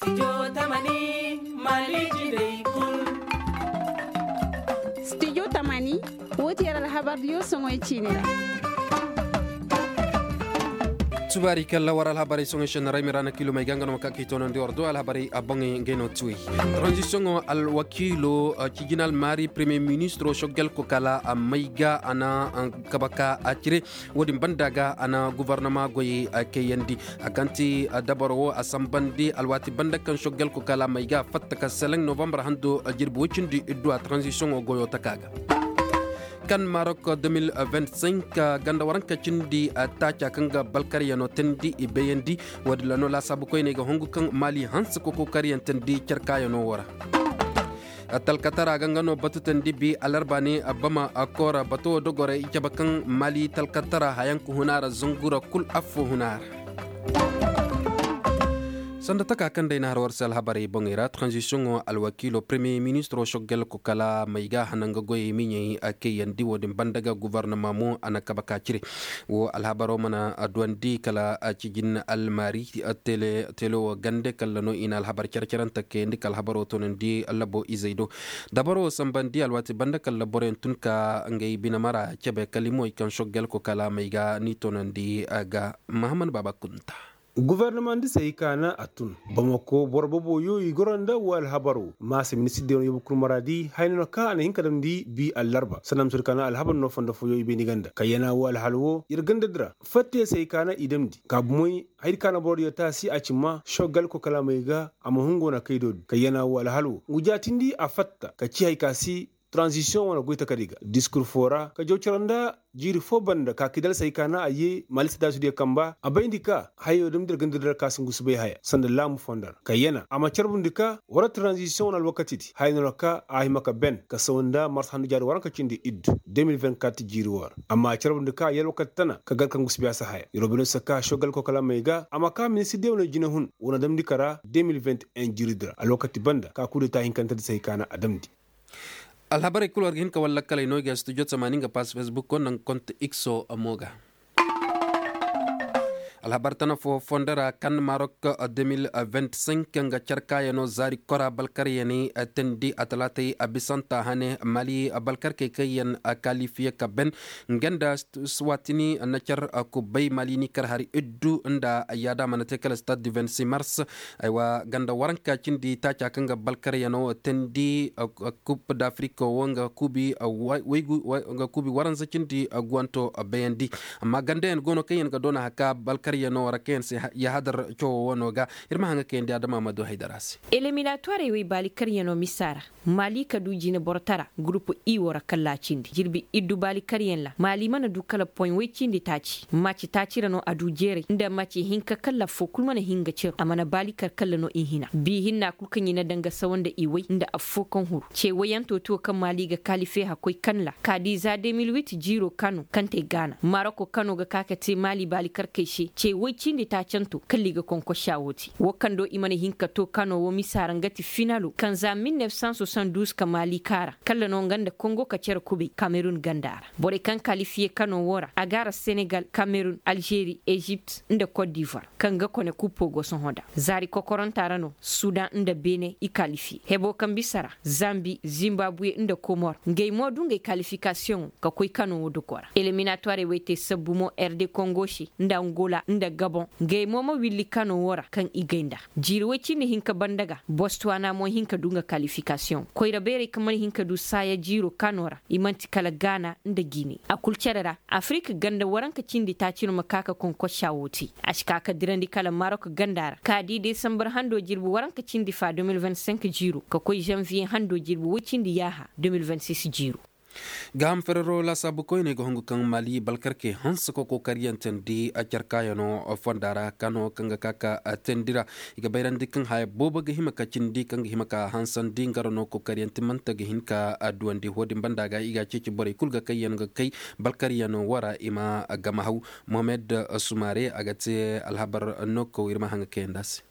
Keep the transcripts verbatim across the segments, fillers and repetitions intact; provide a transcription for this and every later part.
Studio tamani, woo ti yer alhabar diyo soŋoy ciini ra. Subaari kalla war alhabarey soŋoy šenna ra ay ma ra na kiilomey ga nga no ma ka k'i toonandi war do alhabarey a boŋey ngey no tiwey. Tranzisiyoŋo alwakiilo cijinal maari premiyer ministiro soggel kokala a may ga a na kaba ka a cire. Wo-din banda ga a na gobornoma goyey kayandi a kaŋ ti dabaro wo a sambandi alwaati banda kaŋ soggel kokala may ga a fatta ka seleŋ novambar hando jirbi woy cindi iddu a tranzisiyoŋo goyo taka ga. Kan marok de mil vingt cinq ganda waranka cindi taaca kaŋ ga balkaryano tandi i bayandi. Wo-din ra no laasaabu koyney ga hongu kaŋ maali hanse kokokaryaŋ tandi carkaayano wo ra. Talkatara ga nga no batu tandi bi alarba ne bama koora bato wo dogorey i cabe kaŋ maali talkatara hayanka huna ra zangura kul affo huna ra. Sanda taka kaŋ day na har war se alhabarey boŋey ra tranzisiyoŋo alwakiilo premiyer ministiro soggel kokala may ga hananga goyey miɲey a kayandi wo-din banda ga gobornoma mo a na kaba ka cire. Wo alhabaro mana duwandi kala cijin almaari tele wo gande kalla no i na alhabar care-carante kayandi ka alhabaro toonandi labo izey do. Dabaro wo sambandi alwaati banda kalla boroyaŋ tun ka ngey bine mara cabe kala i moy kaŋ soggel kokala may ga ni toonandi ga mahammad baaba kunta. Gobornoma nda se hay ka na a tun bamako boro boboyo i goro nda wo alhabaro ma se ministir de wane yobo kul maraadi hayna no ka a na hin ka damndi bi allarba sanda ma se hay ka na alhabar no fondo foyo i bayndi ganda kayyana wo alhal wo ir ganda dira fatte se hay ka na i damndi ka bumoy haydi ka na boro diyo taasi a ci ma sogal kokala may ga a ma hungo na kaydo di kayyana wo alhal wo ngu jaatindi a fatta ka ci hay ka si tranzisiyoŋ wane goy takadi ga diskur foo ra ka jaw cere nda jiiri foo banda ka kidal se hay ka na a yee maalisa daasudiyo kamba a bayndi ka hayo damndi ir ganda dira ka si ngu si bay haya sanda laamu fondo ra kayyana a ma carbundi ka war tranzisiyoŋ wane alwakatidi haya no ra ka a hima ka ben ka saw nda mars handu jaari waranka cindi iddu deux mille vingt-quatre jiiri woo ra amma a carbundi ka yee alwakati tana ka gar ka ngu si bay a si haya ir wo bay no se ka sogal kokalamey ga a ma ka ministir de wane jinehun wane damndi ka ra deux mille vingt et un jiiridi ra alwakati banda ka kudeta hinkantedi se hay ka na a damndi. Alhabarey kul war ga hin ka war lakkaley no i ga studio tamaani nga pass facebook wo nda nga kont x o mo ga. Alhabar tana foo fondo ra kan marok deux mille vingt-cinq nga carkaayano zaari kora balkaryaney teendi atalaatey a bisanta hane mali balkarkey kaŋ yaŋ kaalifiye ka ben nga nda suwatini na car kubbey mali ni kar hari iddu nda yaada mana te kala stade du vingt-six mars. Aywa ganda waranka cindi taaca kaŋ ga balkaryano teendi kub d'afrik wo nga kuubi waranza cindi guwanto bayandi. Amma gandayaŋ go no kaŋ yaŋ ga doona haka balkaryano ra kaŋ yaŋ se yahadar cawoo wo no ga. Ir ma haŋ ga kayandi adama ma du haydara se. Eliminatoirey wey baali karyano misa ra maali ka du jine borotara gurupu i wo ra kalla cindi jirbi iddu baali karyaŋ ra maali mana du kala poy woy cindi taaci maci taaci ra no a du jeeray nda maci hinka kalla affoo kul mana hin ga ceru a mana baali kar kalla no i hina bi hinna kul kaŋ i na daŋ ga sawa nda i woy nda affoo kaŋ huru ce woyanto tiyo kaŋ maali ga kaalife hakkoy kaŋ ra ka di za deux mille huit jiiro kano kaŋ te gaana maroko kano ga ka ka te maali baali karkey se ce woy cindi taacanto kalla i ga konkosa wo te wo kaŋ do i mana hin ka to kano wo misa ra nga ti finalo kaŋ za mil neef san soixante douze ka maali kaara kalla no nga nda kongo ka cere kubay kamerun ganda ra borey kaŋ kalifiye kano wo ra a ga ra senegal kamerun alžeri ezipt nda kot divoir kaŋ ga kone kuppo go sohõ da zaari kokoronta ra no sudan nda bene i kalifiye hebo kaŋ bisa ra zambi zimbabuwe nda komor ngey mo du ngey kalifikasiyoŋo ka koy kano wo duko ra eliminatoirey wey te sabbu mo rd kongo se nda angola nda gabon ngey mo ma willi kano wo ra kaŋ i gay nd'a jiiri woy cindi hinka banda ga bostuwana mo hin ka du nga kalifikasiyoŋ koyra beerey kaŋ mana hin ka du saaya jiiro kano ra i man'ti kala gaana nda gine a kul cere ra afirik ganda waranka cindi taaci no ma ka ka konkosa wo te a si ka ka dirandi kala marok ganda ra ka di desambar hando jirbi waranka cindi fa deux mille vingt-cinq jiiro ka koy zanviye hando jirbi woy cindi yaaha deux mille vingt-six jiiro. Gaaham ferero laasaabu koyney ga hungu kaŋ maali balkarkey hanse ka kokariyantandi a carkaayano fonda ra kano kaŋ ga ka ka teendi ra i ga bayrandi kaŋ haya boobo ga hima ka cindi kaŋ ga hima ka hansandi nga ra no kokariyanti manta ga hin ka duwandi wo-din banda ga i ga a ceeci borey kul ga kayyaŋ ga kay balkaryano wo ra i ma gama haw. Mohamed sumare a ga te alhabar no kaw ir ma haŋ ga kayandi a se.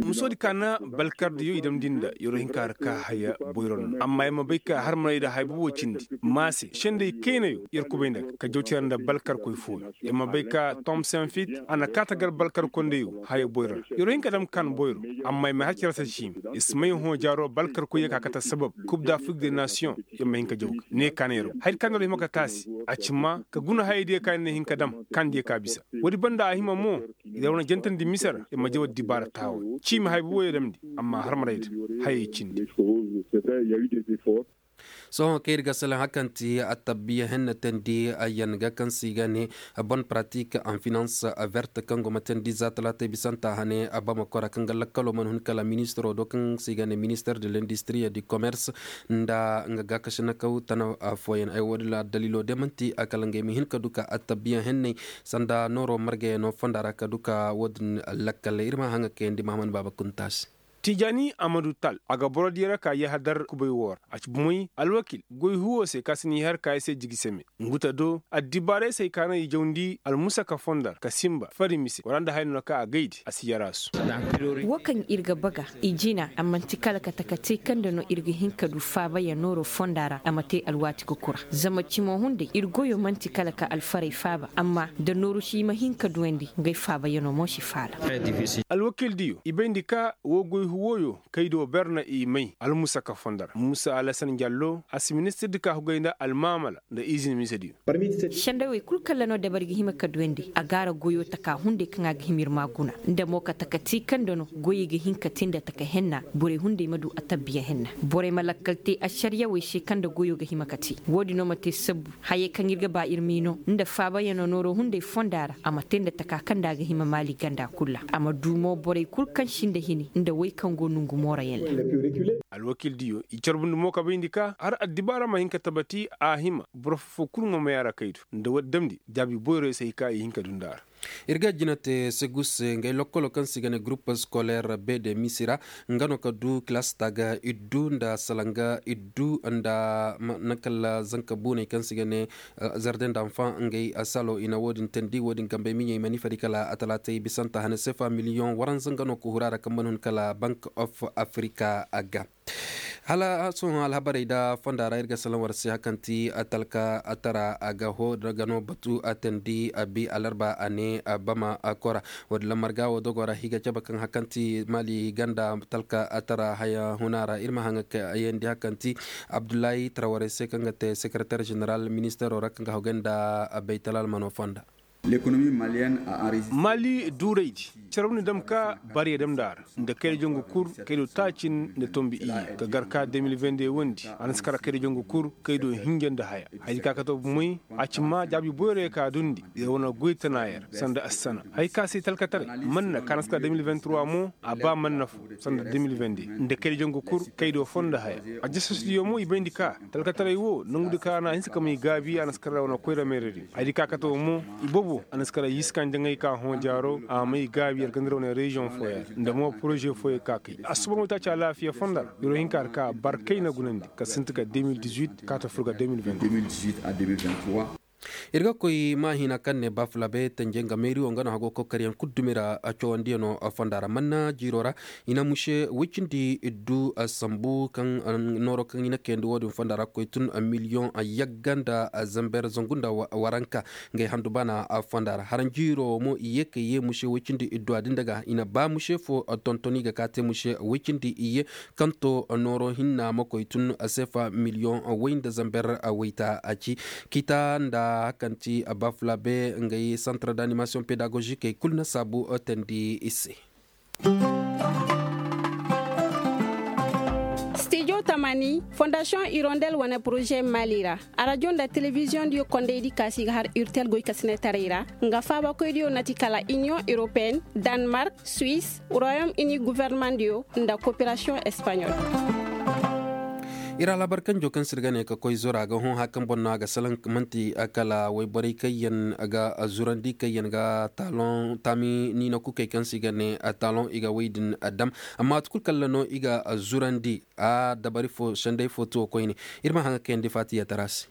Musoodi ka na balkardiyo i damndi nda yeroo hinka har ka haya boyro no amma yer ma bay ka har maray nda haya bobo cindi maase sendey kaynayo yer kubay nda ga ka jawti ra nda balkarkoy fooyo. Yer ma bay ka tom senfit a na kaata gar balkarkondeyo haya boyro ra yeroo hinka dam kan boyro. Amma yer ma har cere se ciimi yer si may hõ jaaro balkarkoyyo ka kate sabab kub da afrik de nasiyoŋ. Yer ma hin ka jaw ga ne ka na yer go haya di ka na yer hima ka taasi a ci maa ka guna hayadiyo ka yer na hin ka dam. Kaandiyo ka bisa woodi banda a hima mo. Yer wane jantandi mise ra yer ma jaw addibaara taaway ciimi haya boboyo damndi. Amma har maray da hayey cindi. Sohõ kaŋ ir ga salaŋ hakanti attabiya henne teendi ayyan ga kaŋ se i ga ne bonne pratique en finance verte kaŋ go ma teendi za talaatay bisanta hane. Bamakora kaŋ ga lakkalo mana hun kala ministiro do kaŋ se i ga ne minister de l'industrie du commerce nda nga gaakasinakaw tana fooyaŋ ay wo- din ra daliilo day man'ti kala ngey ma hin ka du ka attabiya henney sanda nooro margayano fonda ra ka du ka wo- din lakkal ir ma haŋa kayandi mahaman baaba kunta se. Tijaani amadu tal a ga boro diya ra ka yahadar kubay woo ra a ci bumey alwakil goy huwo se ka si n'i har ka ay se jigi seme. Ngu ta do addibaarey se hay ka naŋ i jawndi almusaka fondo ra ka sinba fari mise wara nda haya no na ka a gaydi a si yaraasu. Woo kaŋ ir ga baga i jina a man'ti kala kate ka te kaŋ nda no ir ga hin ka du faabayaŋ nooro fonda ra a ma te alwaati ga kura. Zama cimo hunday ir goyo man'ti kala ka alfarey faaba amma nda nooru si i ma hin ka duwandi ngey faabayaŋo mo si faala. Alwakildiyo i bayndi ka woo goy huwoyo kaydo ber na i may almusaka fondo ra muusa alasan jallo a si ministirdi ka hugay nda almaamala nda izin misediyo. Sendey wey kul kaŋ ra no dabari ga hima ka duwandi a gaara goyo taka hunday kaŋ a ga hima ir ma a guna nda mo ka taka te kaŋ nda no goyey ga hin ka te nda taka henna borey hunday ma du attabiya henna. Borey ma lakkal te ašariyawey se kaŋ nda goyo ga hima ka te woo din no ma te sabbu hayey kaŋ ir ga ba ir m'i no nda faabayaŋo nooro hunday fonda ra a ma te nda taka kaŋ nda a ga hima maali ganda kul ra a ma du mo borey kul kaŋ sinda hini nda wey kaŋ go nongu moorayaŋ ra. Alwakildiyo i carbundi mo ka bayndi ka har addibaara ma hin ka tabati a hima boro foo kul ŋwa may a ra kaydu nda war damndi jaabi boyroy se hay ka i hin ka du nda a ra. Ir ga jina te segus se ngey lokkolo kaŋ se i ga ne gurup skoleer be de misi ra nga no ka du kilaas taaga iddu nda salanga iddu nda naŋ kala zanka buuney kaŋ se i ga ne zarden danfaŋ ngey salo i na wo- din teendi wo- din gambey miɲey ma ni fari kala atalaatey bisanta hane sefa miliyoŋ waranza nga no ka huru a ra kaŋ mana hun kala bank of afrika ga. Hala sohõ alhabarey nda fonda ra ir ga salaŋ war se hakanti talka tara a ga hoo daga no batu a teendi a bi alarba a ne bama kora. Wo- din lammar ga wo dogo ra higa cabe kaŋ hakanti maali ganda talka tara haya huna ra ir ma haŋa ka yeendi hakanti abdullahi tarawarey se kaŋ ga te sekereter ženeral ministeero ra kaŋ ga hogay nda baytal almano fonda. Maali duuraydi carabni dam ka bariya dam nda a ra nda kayda jangu kul kaydo taacin nda tombi iyye ka gar ka de mil vende wondi a na si kara kayda jangu kul kaydo hinja nda haya. Haydi ka kato bumey a ci maa jaabi boyroyey ka dundi yer wane goy tana yer sanda assana hay ka se talkataray manna ka na si kara de mil vente trois mo a ba manna fo sanda de mil vende nda kayda jangu kul kaydo fo nda haya. Ajasasdiyo mo i bayndi ka talkataray wo nongudi ka ra no a hinsa ka may gaabi a na si kara wane koyra meeradi. Haydi ka kate wo mo i bobo a na si kara yiiska njaŋay ka hõ jaaro a may gaabi yer ganda ra wane reziyoŋ fooyaŋ nda mo poroze fooyaŋ ka kay a suba no taaci alaafiya fonda ra yeroo hinka ra ka barkay na gunandi ka sinti ka de mil dix huit kaata fur ga de mil vente. Ir ga koy maahina kaŋ ne bafulabe tenje nga meeri wo nga no hago kokariyaŋ kul dumi ra cawandiyano fonda ra manna jiiro ra i na muse woy cindi iddu sambu kaŋ nooro kaŋ i na kayandi wo- din fonda ra koy tun miliyoŋ yagga nda zamber zangu nda waranka. Ngey handu baana fonda ra haranjiiro mo i ye ka ye muse woy cindi iddu a din daga i na ba muse fo tontoni ga ka te muse woy cindi i ye kaŋ to nooro hinna ma koy tun sefa miliyoŋ woy nda zamber woyta a ci. Kita nda hakanti bafulabe ngey santar d'animasiyoŋ pedagozikey kul na saabu teendi i se. Stijo tamani fondasiyoŋ irondel wane poroze maali ra arajo nda telebiziyoŋ diyo kondaydi kaasi ga har urtel goykasinetaray ra nga faabakoydiyo na ti kala iniyoŋ europeen, danmark, suwis, royom ini gofornamaŋ diyo nda koperasiyoŋ espaɲol. Ir alhabar kanjo kaŋ se ir ga ne ka koy zora ga hõ haya kaŋ boŋ no a ga salaŋ manti kala wayborey kaŋ yaŋ ga zurandi kaŋ yaŋ ga taaloŋ taami niina kukey kaŋ se i ga ne taaloŋ i ga wey din dam. Amma waati kulu kaŋ ra no i ga zurandi a dabari fo senday fo tuwo koyne. Ir ma haŋ ga kayandi faatiya tara se.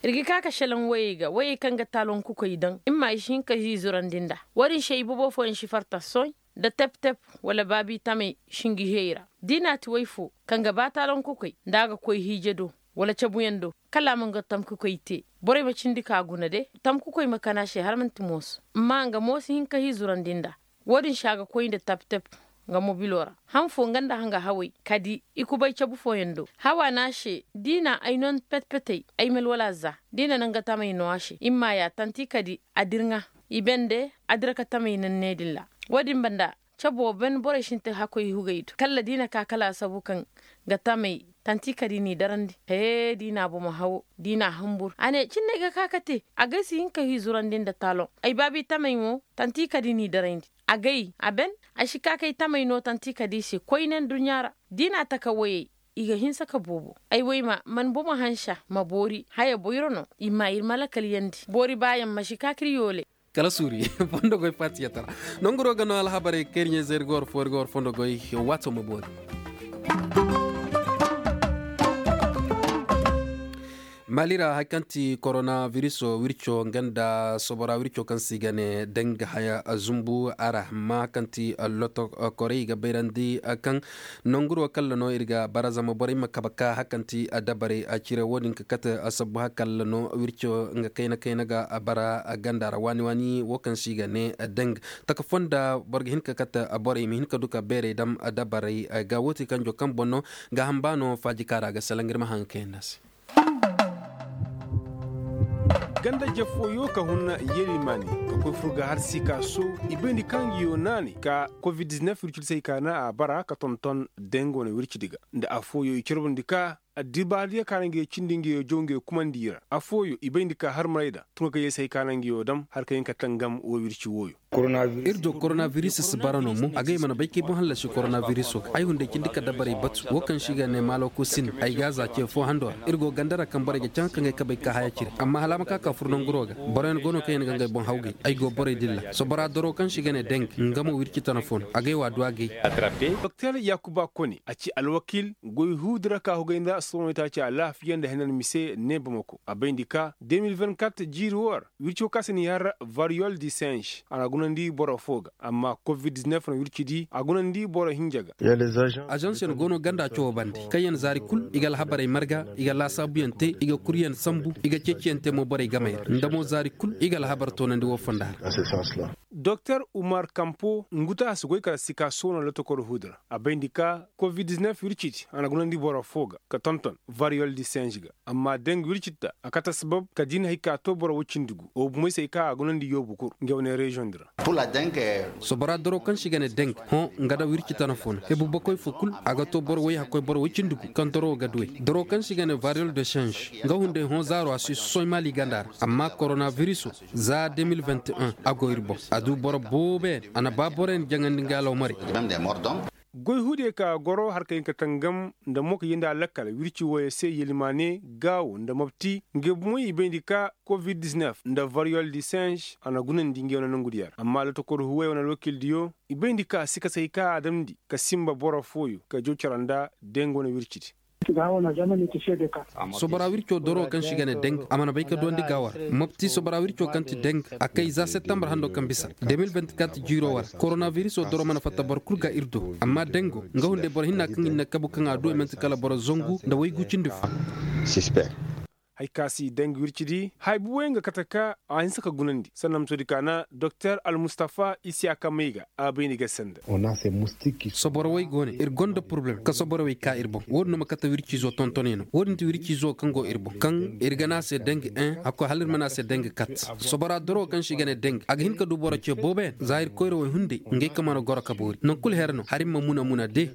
Ir ga ka ka salaŋ wayey ga wayey kaŋ ga taaloŋ kukey daŋ i ma i si hin ka zizurandi nd'a. Wo-din se i bobo fooyaŋ si farta soy. nda tep-tep wala baabi tamey shingi heyey ra. Da i na ti way fo kaŋ ga ba taalaŋ kokoy nda a ga koy hiije do wala cabuyaŋ do, kala a ma nga tamkukoy te. Borey ma cindi ka guna de, tamkukoy ma kana se har manti mooso. Amma nga mo si hin ka hii zurandi nda. Wo-din se a ga koy nda tep-tep nga mobilo ra. Han fo nga nda hanga hawey ka di i kubay cabu fooyaŋ do. Hawa ne a se, da i na ay non pet-petey ay mel wala za, da i na naŋ ga tamey no a se i ma maayaa tanti ka di a dirŋa. I bende a dira ka tamey naŋ ne din ra. Wo-din banda, cabo ben borey sintin hakkoy hugey do kalla da i na ka kala a sabu kaŋ ga tamey tanti ka di n'i darandi. Hee da i na bomo hawo, da i na a humbur a ne cinney ga ka ka te. Agay si hin ka hii zurandi nda taaloŋ. Ay baabi tamey mo tanti ka di n'i darandi. Agay a ben, ay si ka kay tamey no tanti ka di i se koyne nduɲɲa ra. Da i na a taka woyey, i ga hinsa ka boobo. Ay woy ma man bomo hansa ma boori haya boyro no. I ma ir ma lakaliyandi boori baayaŋ ma si ka k'ir yoole. Kala suuri, fondo goy faatiyatara. Nonguro ga no alhabarey kaŋ ir ɲayze ir ga war fo ir ga war fondo goy. Waato ma boori. Mali ra hari kaŋ ti koronabiriso wirco nga nda sobora wirco kaŋ se i ga ne deng haya zumbu a ra amma hari kaŋ ti lotokorey i ga bayrandi kaŋ nonguro kalla no ir ga bara zama borey ma kabe ka hari kaŋ ti dabarey cire wo-din ka kate sabbu hari kalla no wirco nga kayna kayna ga bara ganda ra waani waani wo kaŋ se i ga ne deng taka fonda boro ga hin ka kate borey ma hin ka du ka beerey dam dabarey ga wo ti kanjo kaŋ boŋ no ga hamba no faaji kaara ga salaŋ ir ma haŋ ga kayandi a se. Ganda je fooyo ka hun yelimaani ka koy fur ga har sika so i bayndi kaŋ nga yo naanay ka covid-19 wircidi se i kaana a bara ka tonton dengo na wircidi ga nda afooyo i carbundi ka addibaadiyo kaana nga yo cindi nga yo jaw nga yo kumandi i ra afooyo i bayndi ka har maray da tun ka kay yey se hay kaana nga yo dam har ka hin ka tangam wo wirci wooyo. Ir do koronabiris si bara no mo agay mana bay kay boŋ hallasi koronabiris wo ga ay hunday cindi ka dabarey batu wo kaŋ se i ga ne maalo kusin ay ga a za ce fo hando ra ir go ganda ra kaŋ borey ga caŋ kaŋ ay kabay ka haya cire amma hala a ma ka ka fur nanguro ga boroyaŋ go no kaŋ yaŋ ga ngey boŋ hawgay ay go borey dilla sobora doro kaŋ se i ga ne deng nga mo wirci tana fo no agay wo a du agay. Doktor yakuba kone a ci alwakiil goy huudi ra ka hugay nda sohõ itaaci alaafiya nda henan mise ne bamako a bayndi ka de mil vingt-quatre jiiri wo ra wirco ka se ni har variyol di senš a na gunandi boro fo ga amma covid-19 na wirci di a gunandi boro hinja ga. Ažansiyaŋ go no ganda cawo bande kaŋyaŋ zaari kul i ga alhabarey marga i ga laasaabuyaŋ te i ga kuryaŋ sambu i ga ceeciyaŋ te mo borey gamey ra nda mo zaari kul i ga alhabar toonandi wo fonda ra. Doktor umar kampo ngu ta a si goy kala sika soona lotokor huudi ra a bayndi ka covid-19 wirci di a na gunandi boro fo ga ka tonton variyol di senš ga amma deng wirci ta a kate sabab ka diina hay ka to boro woy cindi gu wo bumey se ay ka a gunandi yoobu kul nga wane reziyoŋ di ra. Sobora doro kaŋ se i ga ne deng hõ nga da wirci tana fo no hebu bakoy fo kul a ga to boro woy hakkoy boro woy cindi gu kaŋ doro ga duwey doro kaŋ se i ga ne variyol de senš nga hunday hõ zaaro a si sosoy maali ganda ra amma koronabiriso za de mil vingt-un a go ir boŋ a du boro booboyaŋ a na ba boroyaŋ jaŋandi nga alawmarey. Goy huudey ka goro har ka hin ka tangam nda mo ka yenda lakkal wirci wooyo se yelimaane gaawo nda mobti nga bumey i bayndi ka covid-19 nda variyol di senš a na gunandi nga yaŋ na nongu diya ra amma lotokor huwey wane alwakiil diyo i bayndi ka si ka say ka a damndi ka sinba boro fooyo ka jaw cara nda deng wane wirci di. Sobora wirco doro kaŋ se i ga ne deng a mana bay ka duwandi gaawo ra mopti sobora wirco kaŋ ti deng a kay za septembar hando kaŋ bisa de mil vingt-quatre jiiro wo ra koronabiriso doro mana fatta boro kul ga ir do amma dengo nga hunday boro hinna kaŋ ir na kabu kaŋ a duwey man'ti kala boro zangu nda waygu cindi fo. Hay ka si deng wirci di hay buwey nga kate ka a hinse ka gunandi sanda ma soodi kaana doktor almustafa isiyaka may ga a bay ni ga sanda. Soborowey go ne ir gonda poroblem ka soborowey ka ir boŋ wo-din no ma kate wirciizo tontoney no wo-din ti wirciizo kaŋ go ir boŋ kaŋ ir ga ne a se deng en hakkoy hala ir ma ne a se deng kat. Sobora doro kaŋ se i ga ne deng a ga hin ka du boro ce booboyaŋ za ir koyrawey hunday ngey ka mana goro ka boori naŋ kul her no har ir ma muna muna de.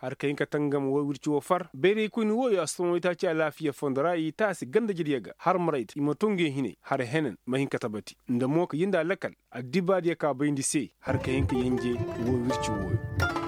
Har ka hin ka tangam wo wirci wo far bayraykoyni wooyo a sohõ itaaci alaafiya fondo ra i taasi ganda jediya ga har maray da i ma to ngey hinay har henan ma hin ka tabati nda mo ka yinda lakal addibaadiya ka bayndi se har ka hin ka yanje wo wirci wooyo.